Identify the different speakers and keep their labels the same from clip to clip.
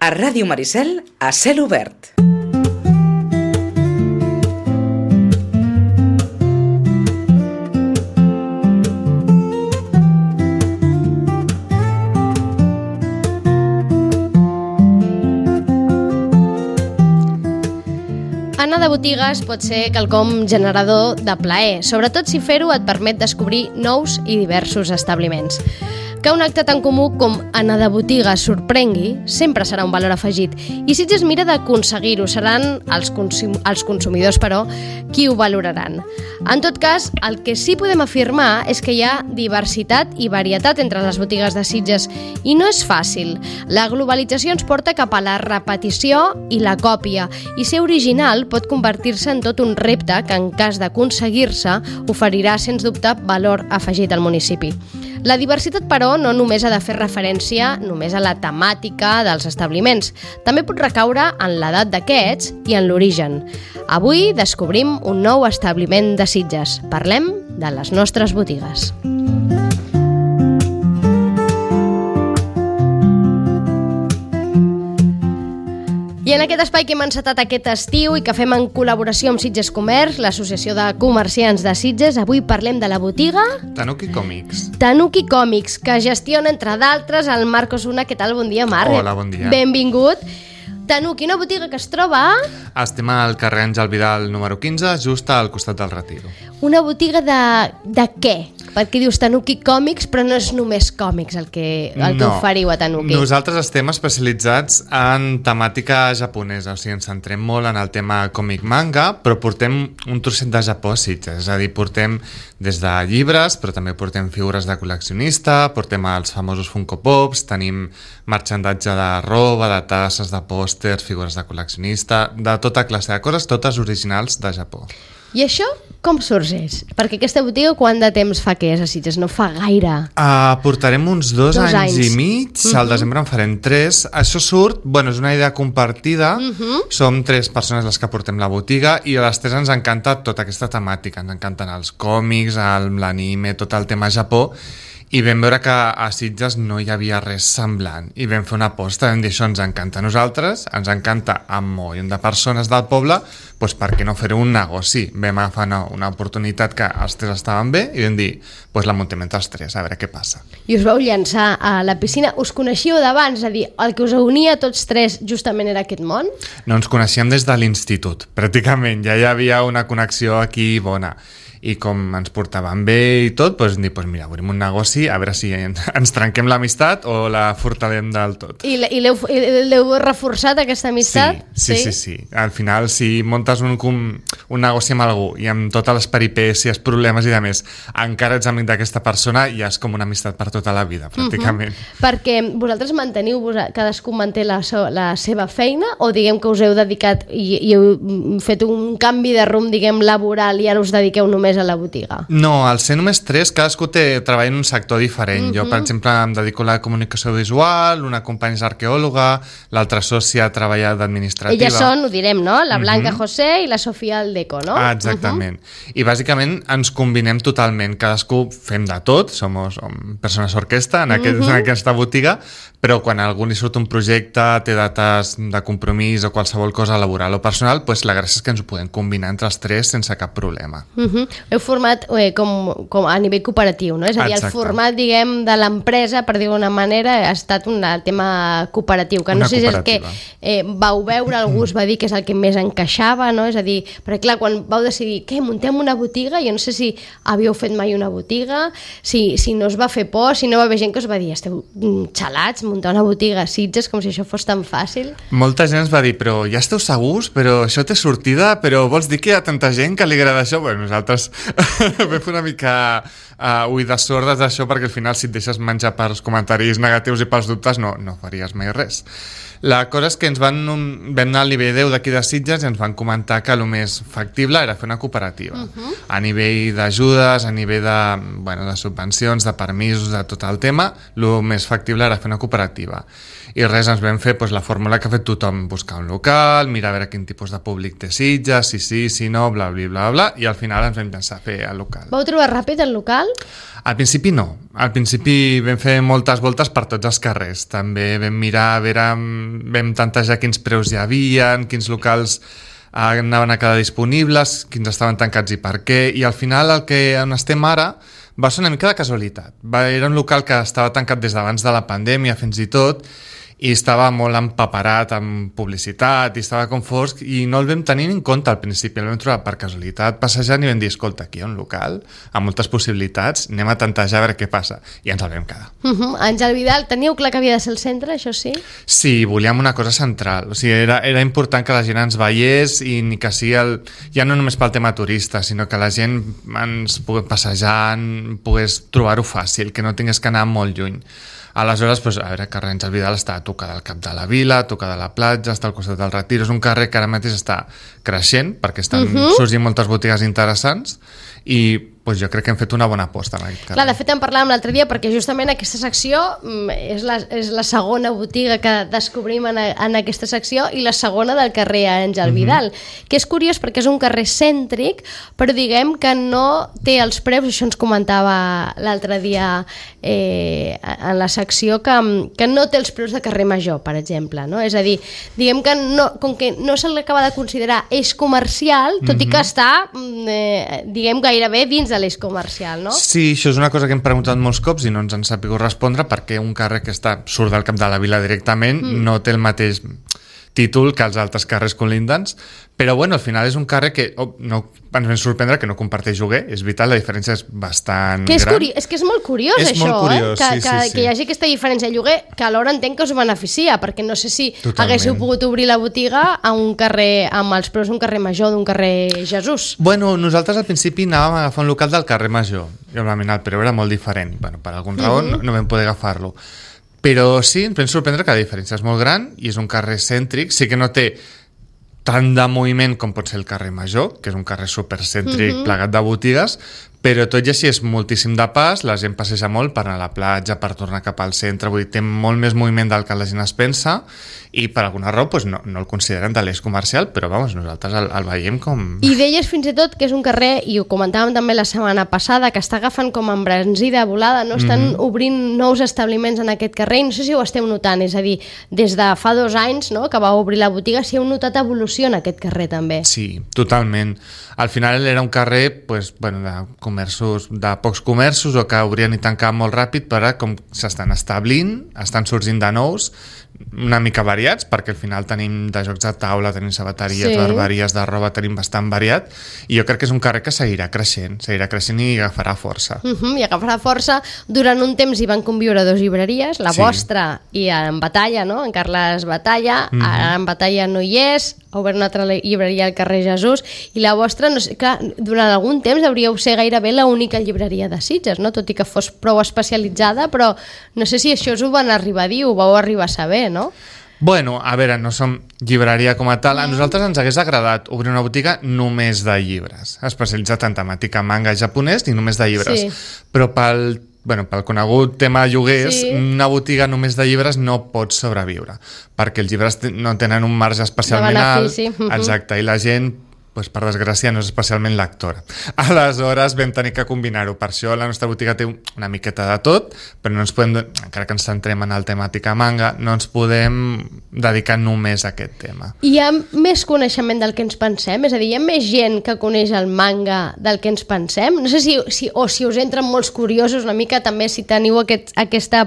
Speaker 1: A Ràdio Maricel, a cel obert.
Speaker 2: Anar de botigues pot ser quelcom generador de plaer, sobretot si fer-ho et permet descobrir nous i diversos establiments. Que un acte tan comú com anar de botiga sorprengui sempre serà un valor afegit i Sitges mira d'aconseguir-ho, seran els consumidors, però, qui ho valoraran. En tot cas, el que sí podem afirmar és que hi ha diversitat i varietat entre les botigues de Sitges i no és fàcil. La globalització ens porta cap a la repetició i la còpia i ser original pot convertir-se en tot un repte que en cas d'aconseguir-se oferirà sens dubte valor afegit al municipi. La diversitat, però, no només ha de fer referència només a la temàtica dels establiments. També pot recaure en l'edat d'aquests i en l'origen. Avui descobrim un nou establiment de Sitges. Parlem de les nostres botigues. I en aquest espai que hem encetat aquest estiu i que fem en col·laboració amb Sitges Comerç, l'Associació de Comerciants de Sitges, avui parlem de la botiga
Speaker 3: Tanuki Còmics.
Speaker 2: Tanuki Còmics, que gestiona, entre d'altres, el Marc Osuna. Què tal? Bon dia, Marc.
Speaker 3: Hola, bon dia.
Speaker 2: Benvingut. Tanuki, una botiga que es troba a...
Speaker 3: Estem al carrer Àngel Vidal número 15, just al costat del Retiro.
Speaker 2: Una botiga de què? Perquè dius Tanuki Còmics, però no és només còmics el que oferiu a Tanuki.
Speaker 3: Nosaltres estem especialitzats en temàtica japonesa, o sigui, ens centrem molt en el tema còmic manga, però portem un trosset de Japó a Sitges, és a dir, portem des de llibres, però també portem figures de col·leccionista, portem els famosos Funko Pops, tenim marxandatge de roba, de tasses, de pòsters, figures de col·leccionista, de tota classe de coses, totes originals de Japó.
Speaker 2: I això com sorgeix? Perquè aquesta botiga quant de temps fa que és a Sitges? No fa gaire.
Speaker 3: Portarem uns dos anys i mig, al desembre en farem 3. Això surt, és una idea compartida, som 3 persones les que portem la botiga i a les 3 ens encanta tota aquesta temàtica, ens encanten els còmics, l'anime, tot el tema Japó, i vam veure que a Sitges no hi havia res semblant i vam fer una aposta, vam dir això ens encanta a nosaltres, ens encanta a un montón de persones del poble, doncs per què no fer un negoci? Vam agafar una oportunitat que els 3 estaven bé i vam dir, doncs la muntem entre els 3, a veure què passa.
Speaker 2: I us vau llançar a la piscina, us coneixíeu d'abans, és a dir, el que us unia tots 3 justament era aquest món?
Speaker 3: No, ens coneixíem des de l'institut, pràcticament, ja hi havia una connexió aquí bona. I com ens portaven bé i tot, doncs dir, mira, obrim un negoci, a veure si ens trenquem l'amistat o la fortalem del tot.
Speaker 2: I l'heu reforçat, aquesta amistat?
Speaker 3: Sí. Al final, si muntes un negoci amb algú i amb totes les peripècies, problemes i de més, encara ets amic d'aquesta persona i és com una amistat per tota la vida, pràcticament.
Speaker 2: Perquè vosaltres manteniu, cadascú manté la seva feina o diguem que us heu dedicat i heu fet un canvi de rumb, diguem, laboral i ara us dediqueu només a la botiga?
Speaker 3: No, al ser només 3, cadascú treballa en un sector diferent. Jo, per exemple, em dedico a la comunicació visual, una companya és arqueòloga, l'altra sòcia treballa d'administrativa.
Speaker 2: Elles són, ho direm, no? La Blanca José i la Sofia Aldeco, no?
Speaker 3: Exactament. I bàsicament ens combinem totalment. Cadascú fem de tot, som persones orquestra en aquesta botiga, però quan a algú li surt un projecte, té dates de compromís o qualsevol cosa laboral o personal, doncs la gràcia és que ens ho podem combinar entre els 3 sense cap problema.
Speaker 2: Heu format com a nivell cooperatiu, no? És a dir, el format, diguem, de l'empresa, per dir d'una manera, ha estat un tema cooperatiu, que no sé si és el que vau veure, algú us va dir que és el que més encaixava, no? És a dir, perquè clar, quan vau decidir, què, muntem una botiga? Jo no sé si havíeu fet mai una botiga, si no us va fer por, si no va haver gent que us va dir, esteu xalats, muntar una botiga a Sitges, com si això fos tan fàcil.
Speaker 3: Molta gent ens va dir, però ja esteu segurs? Però això té sortida? Però vols dir que hi ha tanta gent que li agrada això? Nosaltres vam fer una mica oïdes sordes d'això perquè al final si et deixes menjar pels comentaris negatius i pels dubtes no faries mai res. La cosa és que vam anar al nivell 10 d'aquí de Sitges i ens van comentar que el més factible era fer una cooperativa. A nivell d'ajudes, a nivell de subvencions, de permisos, de tot el tema, el més factible era fer una cooperativa. narrativa. I res, ens vam fer la fórmula que ha fet tothom, buscar un local, mirar a veure quin tipus de públic té Sitges, si no, bla, bla, bla, bla, i al final ens vam pensar fer el local.
Speaker 2: Vau trobar ràpid el local?
Speaker 3: Al principi no. Al principi vam fer moltes voltes per tots els carrers. També vam mirar, a veure, vam tantejar quins preus hi havia, quins locals anaven a quedar disponibles, quins estaven tancats i per què, i al final on estem ara va ser una mica de casualitat. Era un local que estava tancat des d'abans de la pandèmia fins i tot, i estava molt empaperat amb publicitat i estava com fosc i no el vam tenir en compte al principi, el vam trobar per casualitat passejant i vam dir, escolta, aquí hi ha un local amb moltes possibilitats, anem a tantejar a veure què passa, i ens el vam quedar.
Speaker 2: Àngel Vidal, teníeu clar que havia de ser el centre, això sí?
Speaker 3: Sí, volíem una cosa central, o sigui, era important que la gent ens veiés i ni que sigui ja no només pel tema turista, sinó que la gent ens pogués passejar, pogués trobar-ho fàcil, que no tingués que anar molt lluny. Aleshores, a veure, carrer Àngel Vidal està a tocar del cap de la vila, a tocar de la platja, està al costat del Retiro. És un carrer que ara mateix està creixent perquè estan sorgint moltes botigues interessants i jo crec que hem fet una bona aposta en aquest carrer.
Speaker 2: Clar, de fet en parlàvem l'altre dia perquè justament aquesta secció és la segona botiga que descobrim en aquesta secció i la segona del carrer Àngel Vidal, que és curiós perquè és un carrer cèntric, però diguem que no té els preus, això ens comentava l'altre dia en la secció, que no té els preus de carrer Major, per exemple, no? És a dir, diguem que com que no se l'acaba de considerar eix comercial, tot i que està, diguem, gairebé dins de l'eix comercial, no?
Speaker 3: Sí, això és una cosa que hem preguntat molts cops i no ens han sabut respondre perquè un carrer que surt del cap de la vila directament no té el mateix títol que els altres carrers colindants, però al final és un carrer que no ens vam sorprendre que no comparteix lloguer, és vital, la diferència és bastant gran.
Speaker 2: És que és molt curiós
Speaker 3: és
Speaker 2: això,
Speaker 3: molt curiós,
Speaker 2: que hi hagi aquesta diferència de lloguer, que alhora entenc que us beneficia, perquè no sé si haguéssiu pogut obrir la botiga a un carrer amb els preus d'un carrer Major, d'un carrer Jesús.
Speaker 3: Nosaltres al principi anàvem a agafar un local del carrer Major, i òbviament el preu era molt diferent, per algun raó no vam poder agafar-lo. Però sí, ens vam sorprendre que la diferència és molt gran i és un carrer cèntric, sí que no té tant de moviment com pot ser el carrer Major, que és un carrer supercèntric plegat de botigues, però tot i així és moltíssim de pas, la gent passeja molt per anar a la platja, per tornar cap al centre, vull dir, té molt més moviment del que la gent es pensa i per alguna raó no el consideren de l'eix comercial, però nosaltres el veiem com...
Speaker 2: I deies fins i tot que és un carrer, i ho comentàvem també la setmana passada, que està agafant com embranzida volada, no estan obrint nous establiments en aquest carrer, i no sé si ho esteu notant, és a dir, des de fa 2 anys, no?, que va obrir la botiga, si heu notat evolució en aquest carrer també.
Speaker 3: Sí, totalment. Al final era un carrer de pocs comerços o que obrien i tancaven molt ràpid, però com s'estan establint, estan sorgint de nous, una mica variats, perquè al final tenim de jocs de taula, tenim sabateries, barberies de roba, tenim bastant variat, i jo crec que és un carrer que seguirà creixent i agafarà força.
Speaker 2: I agafarà força. Durant un temps hi van conviure 2 llibreries, la vostra i en Batalla, no?, en Carles Batalla, ara en Batalla no hi és, ha obert una altra llibreria al carrer Jesús, i la vostra, no sé, clar, durant algun temps hauríeu ser gairebé l'única llibreria de Sitges, no?, tot i que fos prou especialitzada, però no sé si això us ho van arribar a dir, ho vau arribar a saber, no?
Speaker 3: A veure, no som llibreria com a tal. A nosaltres ens hagués agradat obrir una botiga només de llibres, especialitzat en temàtica manga japonès i només de llibres. Però pel conegut tema de lloguers, una botiga només de llibres no pot sobreviure, perquè els llibres no tenen un marge especialment alt. Exacte, i la gent, per desgràcia, no és especialment lectora. Aleshores vam tenir que combinar-ho. Per això la nostra botiga té una miqueta de tot, però no ens podem, encara que ens centrem en el temàtica manga, no ens podem dedicar només a aquest tema.
Speaker 2: Hi ha més coneixement del que ens pensem? És a dir, hi ha més gent que coneix el manga del que ens pensem? No sé si us entren molts curiosos una mica, també si teniu aquesta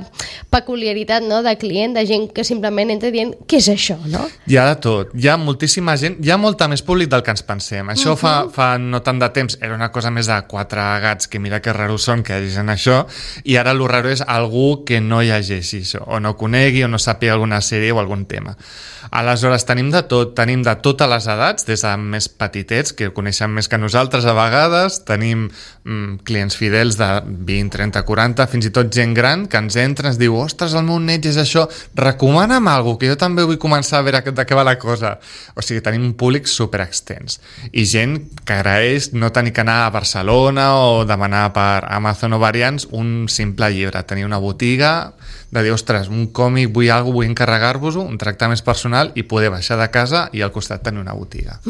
Speaker 2: peculiaritat, no?, de client, de gent que simplement entra dient què és això, no?
Speaker 3: Hi ha de tot. Hi ha moltíssima gent, hi ha molta més públic del que ens pensem. Això fa no tant de temps era una cosa més de 4 gats que mira que raros són que llegeixen això, i ara el raro és algú que no llegeixi això, o no conegui o no sàpiga alguna sèrie o algun tema. Aleshores tenim de tot, tenim de totes les edats, des de més petitets que coneixen més que nosaltres a vegades, tenim clients fidels de 20, 30, 40, fins i tot gent gran que ens entra, ens diu, ostres, el meu net és això, recomana'm alguna cosa, que jo també vull començar a veure de què va la cosa. O sigui, tenim un públic superextens i gent que agraeix no tenir que anar a Barcelona o demanar per Amazon o variants un simple llibre, tenir una botiga de dir, ostres, un còmic, vull encarregar-vos-ho, un tracte més personal i poder baixar de casa i al costat tenir una botiga.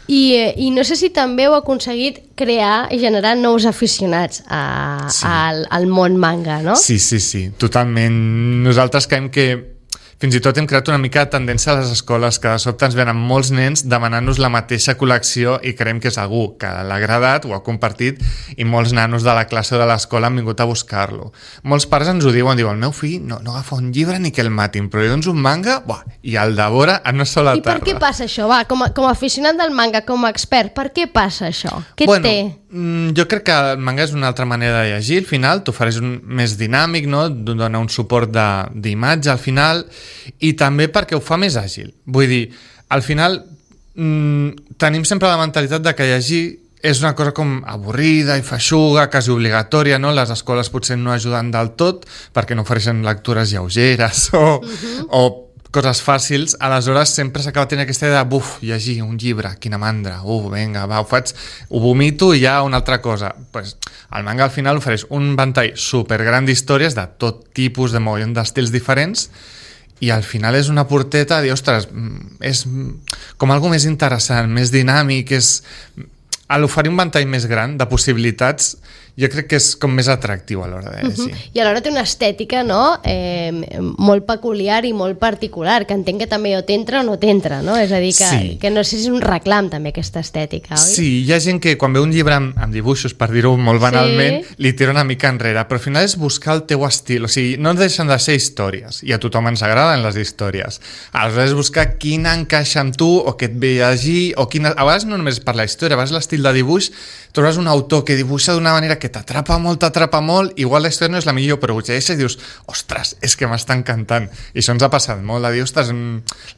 Speaker 2: I no sé si també heu aconseguit crear i generar nous aficionats al món manga, no?
Speaker 3: Sí, totalment. Nosaltres creiem que fins i tot hem creat una mica de tendència a les escoles, que de sobte ens venen molts nens demanant-nos la mateixa col·lecció i creiem que és algú que l'ha agradat, ho ha compartit, i molts nanos de la classe o de l'escola han vingut a buscar-lo. Molts pares ens ho diuen, el meu fill no agafa un llibre ni que el matin, però li dones un manga i el devora en una sola tarda.
Speaker 2: I per què passa això? Com a aficionat del manga, com a expert, per què passa això? Què té?
Speaker 3: Jo crec que el manga és una altra manera de llegir, al final t'ofereix més dinàmic, no? Dona un suport d'imatge al final, i també perquè ho fa més àgil. Vull dir, al final tenim sempre la mentalitat de que llegir és una cosa com avorrida i feixuga, quasi obligatòria, no? Les escoles potser no ajuden del tot perquè no ofereixen lectures lleugeres o coses fàcils, aleshores sempre s'acaba tenint aquesta idea de llegir un llibre, quina mandra, vinga, ho vomito i ja una altra cosa. Pues, el manga al final ofereix un ventall supergran d'històries de tot tipus, de mogollon d'estils diferents, i al final és una porteta de dir, ostres, és com algo més interessant, més dinàmic, a l'oferir un ventall més gran de possibilitats, jo crec que és com més atractiu a l'hora de llegir.
Speaker 2: I alhora té una estètica, no?, molt peculiar i molt particular, que entenc que també o t'entra o no t'entra, no? És a dir, que no sé si és un reclam també aquesta estètica, oi?
Speaker 3: Sí, hi ha gent que quan veu un llibre amb dibuixos, per dir-ho molt banalment, li tira una mica enrere, però al final és buscar el teu estil, o sigui, no deixen de ser històries, i a tothom ens agraden les històries. Aleshores és buscar quina encaixa amb tu, o què et ve a llegir, o quina... A vegades no només per la història, a vegades l'estil de dibuix, trobes un autor que dibuixa d'una manera que t'atrapa molt, igual la història no és la millor, però ho llegeixes i dius, ostres, és que m'està encantant. I això ens ha passat molt, de dir, ostres,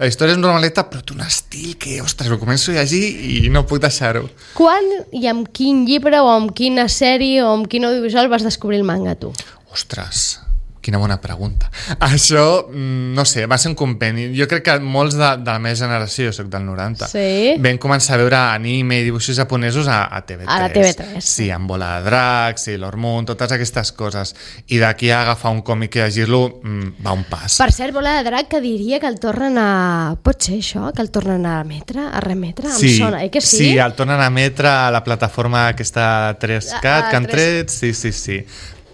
Speaker 3: la història és normaleta, però té un estil que, ostres, ho començo a llegir i no puc deixar-ho.
Speaker 2: Quan i amb quin llibre o amb quina sèrie o amb quin audiovisual vas descobrir el manga, tu?
Speaker 3: Ostres, quina bona pregunta. Això, no sé, va ser un compendi. Jo crec que molts de la meva generació, jo soc del 90, vam començar a veure anime i dibuixos japonesos a TV3.
Speaker 2: A la TV3.
Speaker 3: Sí, amb Bola de Drac, Sailor Moon, totes aquestes coses. I d'aquí a agafar un còmic i llegir-lo va un pas.
Speaker 2: Per cert, Bola de Drac, que diria que el tornen a... Pot ser això? Que el tornen a emetre? A remetre? Em sona, que sí?
Speaker 3: Sí, el tornen a emetre a la plataforma aquesta 3CAT que han tret. Sí.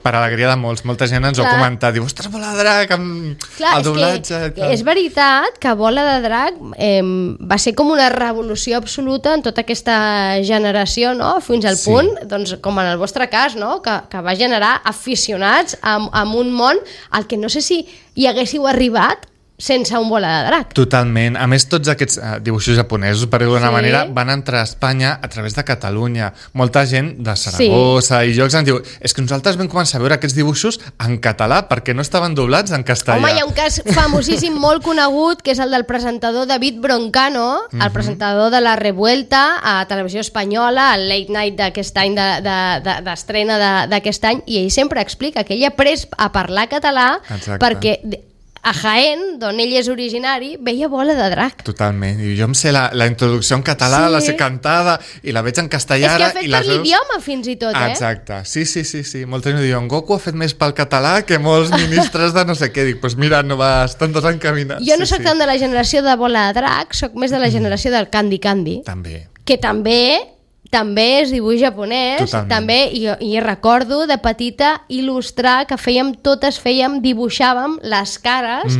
Speaker 3: Per alegria de molts. Molta gent ens ho ha comentat. Diu, ostres, Bola de Drac, amb el doblatge.
Speaker 2: És veritat que Bola de Drac va ser com una revolució absoluta en tota aquesta generació, no? Fins al punt, doncs, com en el vostre cas, no? Que va generar aficionats amb un món al que no sé si hi haguéssiu arribat sense un Bola de Drac.
Speaker 3: Totalment. A més, tots aquests dibuixos japonesos, per dir-ho d'una manera, van entrar a Espanya a través de Catalunya. Molta gent de Saragossa i llocs ens diu, és que nosaltres vam començar a veure aquests dibuixos en català perquè no estaven doblats en castellà.
Speaker 2: Home, hi ha un cas famosíssim, molt conegut, que és el del presentador David Broncano, el presentador de La Revuelta a Televisió Espanyola, el Late Night d'aquest any, d'estrena d'aquest any, i ell sempre explica que ell ha après a parlar català perquè a Jaén, d'on ell és originari, veia Bola de Drac.
Speaker 3: Totalment. I jo em sé la introducció en català, la sé cantada, i la veig en castellà.
Speaker 2: És que ha fet per l'idioma, fins i tot,
Speaker 3: Exacte. Sí. Molta gent diu, en Goku ha fet més pel català que molts ministres de no sé què. Dic, doncs mira, no estan tots encaminats.
Speaker 2: Jo no soc tant de la generació de Bola de Drac, soc més de la generació del Candy Candy.
Speaker 3: També.
Speaker 2: Que també és dibuix japonès. També, i recordo de petita il·lustrar que dibuixàvem les cares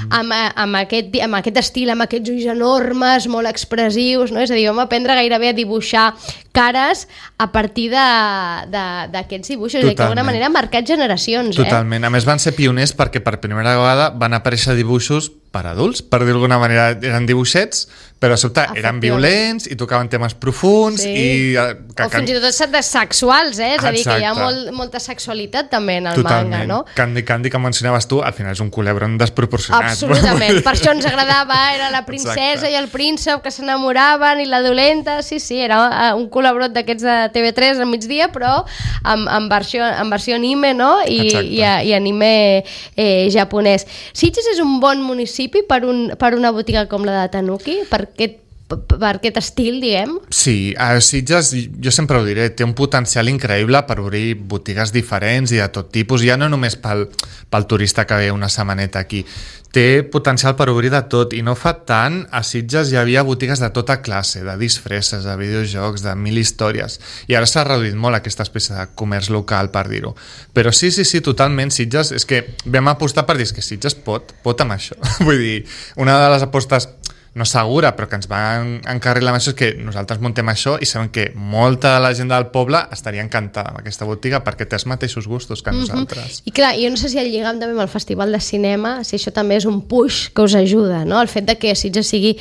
Speaker 2: amb aquest estil, amb aquests ulls enormes, molt expressius, no? És a dir, vam aprendre gairebé a dibuixar cares a partir d'aquests dibuixos, i que d'alguna manera han marcat generacions.
Speaker 3: Totalment. A més van ser pioners perquè per primera vegada van aparèixer dibuixos per adults, per dir d'alguna manera, eren dibuixets, però a sobte eren violents i tocaven temes profuns
Speaker 2: o fins i tot de sexuals, és a dir, que hi ha molta sexualitat també en el manga, no?
Speaker 3: Candy que mencionaves tu, al final és un culebron desproporcionat.
Speaker 2: Absolutament, per això ens agradava, era la princesa i el príncep que s'enamoraven i la dolenta, era un culebron d'aquests de TV3 al migdia, però en versió anime, no? I anime japonès. Sitges és un bon municipi per una botiga com la de Tanuki? Per què per aquest estil, diguem.
Speaker 3: Sí, a Sitges, jo sempre ho diré, té un potencial increïble per obrir botigues diferents i de tot tipus, ja no només pel turista que ve una setmaneta aquí, té potencial per obrir de tot, i no fa tant a Sitges hi havia botigues de tota classe, de disfresses, de videojocs, de 1000 històries, i ara s'ha reduït molt aquesta espècie de comerç local, per dir-ho. Però sí, totalment, Sitges, és que vam apostar per dir que Sitges pot amb això. Vull dir, una de les apostes no segura, però que ens va encarrilar amb això, és que nosaltres muntem això i sabem que molta de la gent del poble estaria encantada amb aquesta botiga perquè té els mateixos gustos que nosaltres.
Speaker 2: I clar, jo no sé si el lligam també amb el Festival de Cinema, si això també és un push que us ajuda, no? El fet de que Sitges sigui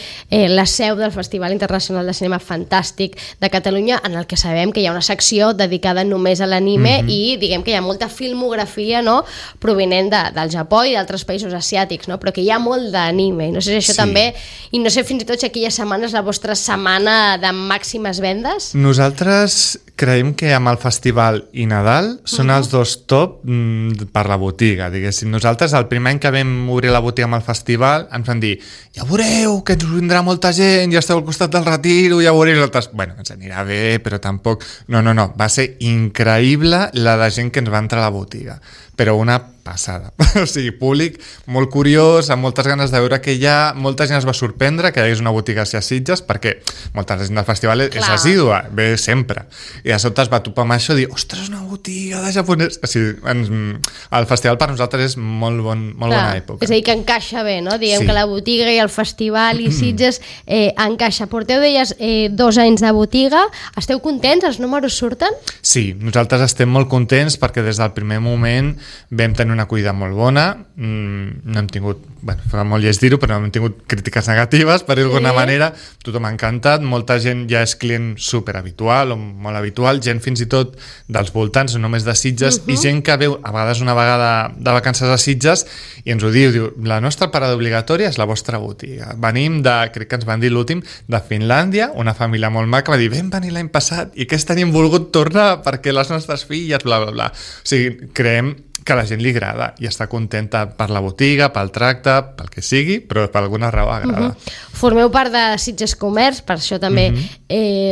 Speaker 2: la seu del Festival Internacional de Cinema fantàstic de Catalunya, en el que sabem que hi ha una secció dedicada només a l'anime i diguem que hi ha molta filmografia, no?, provinent del Japó i d'altres països asiàtics, no? Però que hi ha molt d'anime, i no sé si això també... I no sé fins i tot si aquella setmana és la vostra setmana de màximes vendes.
Speaker 3: Nosaltres creiem que amb el festival i Nadal són els dos top per la botiga, diguéssim. Nosaltres el primer any que vam obrir la botiga amb el festival ens van dir, ja veureu que ens vindrà molta gent, ja esteu al costat del Retiro, ja veureu nosaltres. Bueno, ens anirà bé, però tampoc... No, va ser increïble la de gent que ens va entrar a la botiga, però una passada. O sigui, públic molt curiós, amb moltes ganes de veure què hi ha, molta gent es va sorprendre que hi hagués una botiga a Sitges, perquè molta gent del festival és assídua, ve sempre. I de sobte es va topar amb això i dir, ostres, una botiga de japonès. O sigui, el festival per nosaltres és molt bona època.
Speaker 2: És a dir, que encaixa bé, no? Diguem que la botiga i el festival i Sitges encaixa. Porteu, deies, 2 anys de botiga. Esteu contents? Els números surten?
Speaker 3: Sí, nosaltres estem molt contents perquè des del primer moment vam tenir una acollida molt bona, no hem tingut, bueno, fa molt lleig dir-ho, però no hem tingut crítiques negatives, per dir-ho d'alguna manera, tothom ha encantat, molta gent ja és client superhabitual o molt habitual, gent fins i tot dels voltants, no només de Sitges, i gent que veu a vegades una vegada de vacances a Sitges i ens ho diu, la nostra parada obligatòria és la vostra botiga. Venim de, crec que ens van dir l'últim, de Finlàndia, una família molt maca, va dir, vam venir l'any passat i aquest any hem volgut tornar perquè les nostres filles, bla, bla, bla. O sigui, creiem que a la gent li agrada i està contenta per la botiga, pel tracte, pel que sigui, però per alguna raó agrada.
Speaker 2: Formeu part de Sitges Comerç, per això també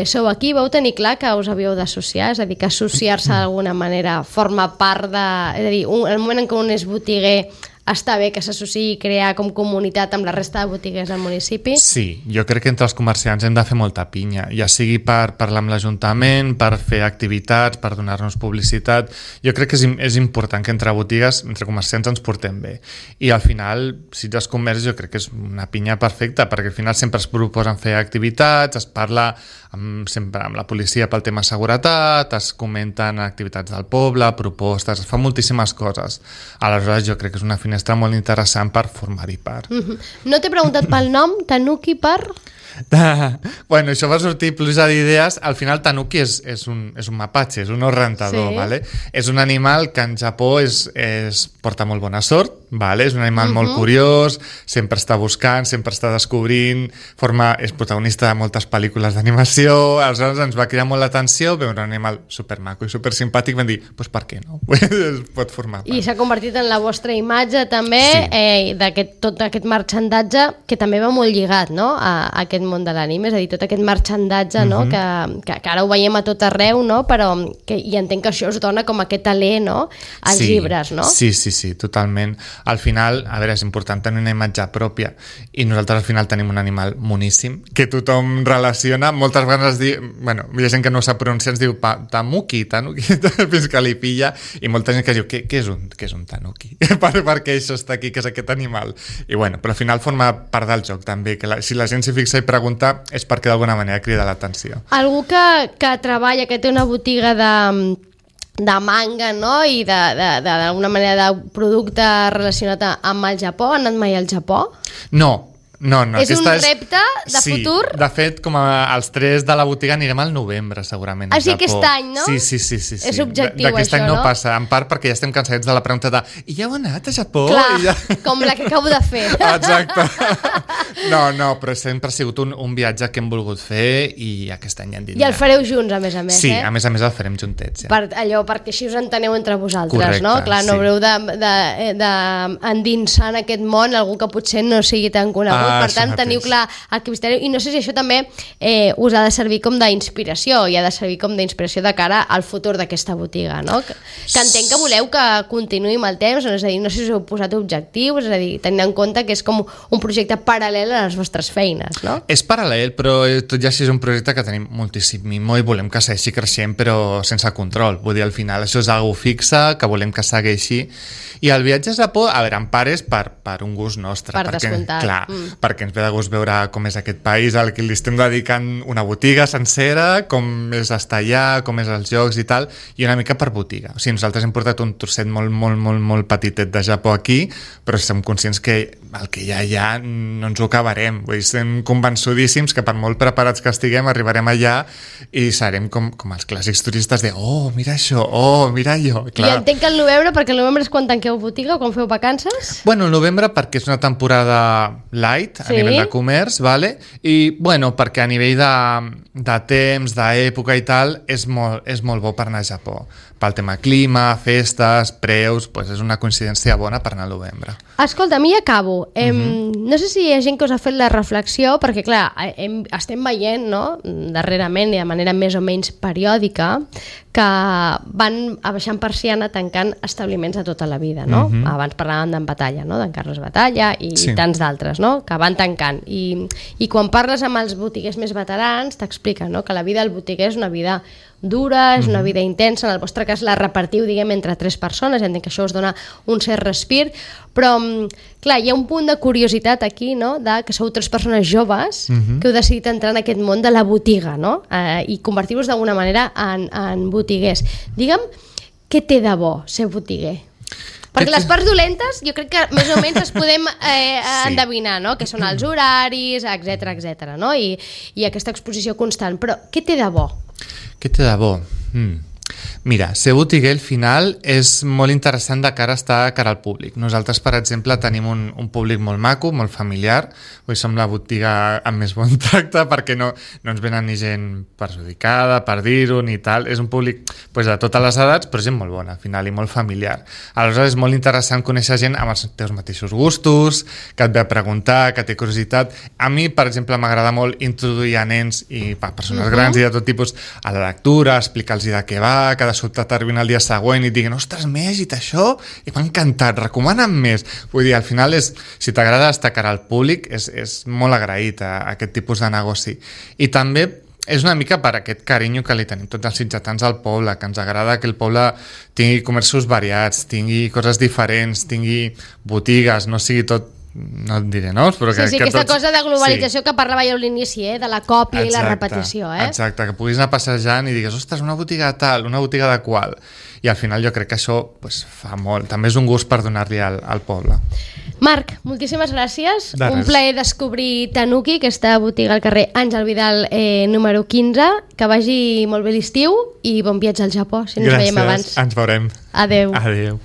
Speaker 2: sou aquí. Vau tenir clar que us havíeu d'associar? És a dir, que associar-se d'alguna manera forma part de... És a dir, el moment en què un és botiguer està bé que s'associï i crear com comunitat amb la resta de botigues del municipi?
Speaker 3: Sí, jo crec que entre els comerciants hem de fer molta pinya, ja sigui per parlar amb l'Ajuntament, per fer activitats, per donar-nos publicitat. Jo crec que és important que entre botigues, entre comerciants ens portem bé. I al final, Sitges Comerç jo crec que és una pinya perfecta, perquè al final sempre es proposen fer activitats, es parla sempre amb la policia pel tema seguretat, es comenten activitats del poble, propostes, es fan moltíssimes coses. Aleshores jo crec que és una finestra molt interessant per formar-hi part.
Speaker 2: No t'he preguntat pel nom, Tanuki per...
Speaker 3: Bueno, això va sortir pluja d'idees. Al final Tanuki és un mapatge, és un orientador, ¿vale? És un animal que en Japó porta molt bona sort, ¿vale? És un animal molt curiós, sempre està buscant, sempre està descobrint, és protagonista de moltes pel·lícules d'animació. Aleshores ens va cridar molt l'atenció veure un animal supermaco i supersimpàtic. Vam dir, doncs per què no? Pot formar part.
Speaker 2: I s'ha convertit en la vostra imatge també, tot aquest marxandatge que també va molt lligat, no?, a aquest món de l'anime, és a dir, tot aquest marxandatge, no?, que ara ho veiem a tot arreu, no?, però i entenc que això us dona com aquest alè, no?, als llibres, no?
Speaker 3: Sí, totalment. Al final, a veure, és important tenir una imatge pròpia i nosaltres al final tenim un animal moníssim que tothom relaciona, moltes vegades bueno, hi ha gent que no sap pronunciar, ens diu tanuki, fins que li pilla, i molta gent que diu, què és un tanuki? Perquè això està aquí, que és aquest animal. I bueno, però al final forma part del joc també, que si la gent s'hi fixa i pregunta és perquè d'alguna manera crida l'atenció.
Speaker 2: Algú que treballa, que té una botiga de manga, no?, i d'alguna manera de producte relacionat amb el Japó, ha anat mai al Japó?
Speaker 3: No.
Speaker 2: És un repte de futur?
Speaker 3: Sí, de fet, com els 3 de la botiga anirem al novembre, segurament, al Japó.
Speaker 2: Aquest any, no?
Speaker 3: Sí.
Speaker 2: És objectiu,
Speaker 3: d'aquest
Speaker 2: això,
Speaker 3: any no
Speaker 2: no?
Speaker 3: passa, en part perquè ja estem cansats de la pregunta de i ja heu anat a Japó?
Speaker 2: Clar, com la que acabo de fer.
Speaker 3: Exacte. No, però sempre ha sigut un viatge que hem volgut fer i aquest any ja en dit.
Speaker 2: I el fareu junts, a més,
Speaker 3: sí, a més el farem juntets. Ja.
Speaker 2: Perquè així us enteneu entre vosaltres,
Speaker 3: correcte,
Speaker 2: no? Clar, no haureu d'endinsar en aquest món algú que potser no sigui tan conegut Per tant, teniu clar el que visitareu. I no sé si això també us ha de servir com d'inspiració, i ha de servir com d'inspiració de cara al futur d'aquesta botiga, no? Que entenc que voleu que continuï amb el temps, és a dir, no sé si us heu posat objectius, és a dir, tenint en compte que és com un projecte paral·lel a les vostres feines, no?
Speaker 3: És paral·lel, però tot ja és un projecte que tenim moltíssim i volem que segueixi creixent, però sense control. Vull dir, al final això és algo fixa, que volem que segueixi. I el viatge a Japó, a veure, en part és per un gust nostre.
Speaker 2: Per descomptat.
Speaker 3: Clar, perquè ens ve de gust veure com és aquest país al que li estem dedicant una botiga sencera, com és estar allà, com és els jocs i tal, i una mica per botiga. O sigui, nosaltres hem portat un trosset molt petitet de Japó aquí, però som conscients que el que hi ha allà no ens ho acabarem. Vull dir, estem convençudíssims que per molt preparats que estiguem arribarem allà i serem com els clàssics turistes de mira això, mira allò.
Speaker 2: Clar. I entenc que el novembre, perquè el novembre és quan tanqueu botiga o quan feu vacances?
Speaker 3: Bueno, el novembre perquè és una temporada light a nivell de comerç, vale? I bueno, perquè a nivell de temps, d'època i tal, és molt bo per anar a Japó. Pel tema clima, festes, preus, doncs és una coincidència bona per anar al novembre.
Speaker 2: Escolta, a mi acabo. No sé si hi ha gent que us ha fet la reflexió, perquè clar, estem veient, no?, darrerament i de manera més o menys periòdica, que van abaixant persiana tancant establiments de tota la vida, no? Abans parlàvem d'en Batalla, no?, d'en Carles Batalla i tants d'altres, no?, que van tancant. I quan parles amb els botiguers més veterans t'expliquen, no?, que la vida del botiguer és una vida dura, és una vida intensa, en el vostre cas la repartiu, diguem, entre 3 persones, entenc que això us dona un cert respir, però clar, hi ha un punt de curiositat aquí, no?, de que sou 3 persones joves que heu decidit entrar en aquest món de la botiga, no?, i convertir-vos d'alguna manera en botiguers. Digue'm, què té de bo ser botiguer? Perquè les parts dolentes jo crec que més o menys les podem endevinar, no?, que són els horaris, etc, no?, i aquesta exposició constant, però què té de bo?
Speaker 3: Què té de bo? Mira, ser botiguer al final és molt interessant de cara a estar a cara al públic. Nosaltres, per exemple, tenim un públic molt maco, molt familiar. Avui som la botiga amb més bon tracte perquè no ens venen ni gent perjudicada, per dir-ho, ni tal. És un públic de totes les edats, però gent molt bona, al final, i molt familiar. Aleshores, és molt interessant conèixer gent amb els teus mateixos gustos, que et ve a preguntar, que té curiositat. A mi, per exemple, m'agrada molt introduir a nens i persones grans i de tot tipus a la lectura, explicar-los de què va, que de sobte t'arribin el dia següent i et diguin ostres, m'he llegit això i m'ha encantat, recomana'm més. Vull dir, al final, si t'agrada estar cara al públic, és molt agraït a aquest tipus de negoci. I també és una mica per aquest carinyo que li tenim tots els sitgetans al poble, que ens agrada que el poble tingui comerços variats, tingui coses diferents, tingui botigues, no sigui tot, no et diré noms, però que
Speaker 2: aquesta cosa de globalització que parlava jo a l'inici, de la còpia i la repetició.
Speaker 3: Exacte, que puguis anar passejant i digues, ostres, una botiga de tal, una botiga de qual, i al final jo crec que això fa molt, també és un gust per donar-li al poble.
Speaker 2: Marc, moltíssimes gràcies, un plaer descobrir Tanuki, aquesta botiga al carrer Àngel Vidal número 15, que vagi molt bé l'estiu i bon viatge al Japó, si no ens veiem abans.
Speaker 3: Gràcies, ens veurem.
Speaker 2: Adeu.
Speaker 3: Adeu.